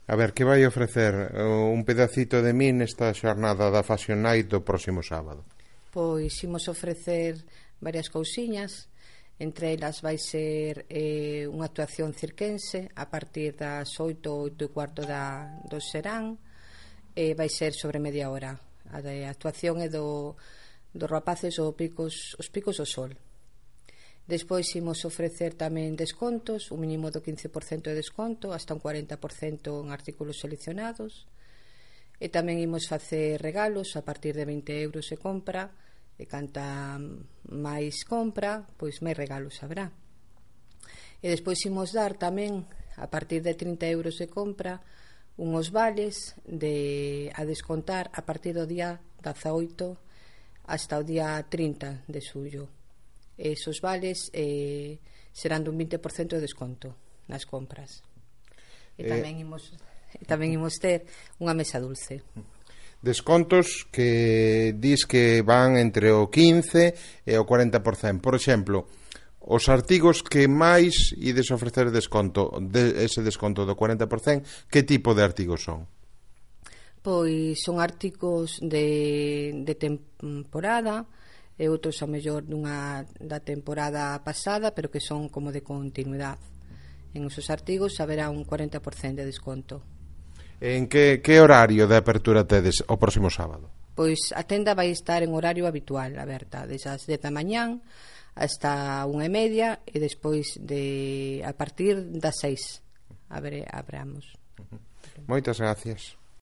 A ver, que vai ofrecer un pedacito de min nesta xornada da Fashion Night do próximo sábado? Pois imos ofrecer varias cousiñas. Entre elas vai ser unha actuación cirquense a partir das 8 e cuarto do serán. Vai ser sobre media hora. A actuación é dos rapaces os picos do sol. Despois imos ofrecer tamén descontos, un mínimo do 15% de desconto, hasta un 40% en artículos seleccionados. E tamén imos facer regalos a partir de 20 euros de compra, e canta máis compra, pois máis regalos habrá. E despois imos dar tamén, a partir de 30 euros de compra, unhos vales a descontar a partir do día 18 hasta o día 30 de xullo. Esos vales serán dun 20% de desconto nas compras. E tamén imos ter unha mesa dulce. Descontos que dis que van entre o 15 e o 40%. Por exemplo, os artigos que máis ides ofrecer desconto, ese desconto do 40%, que tipo de artigos son? Pois son artigos de temporada, e outros a mellor da temporada pasada, pero que son como de continuidade. En esos artigos haberá un 40% de desconto. En que horario de apertura tedes o próximo sábado? Pois a tenda vai estar en horario habitual, aberta, desde as 10 da mañán hasta 1:30, e despois a partir das 6 abramos. Moitas gracias.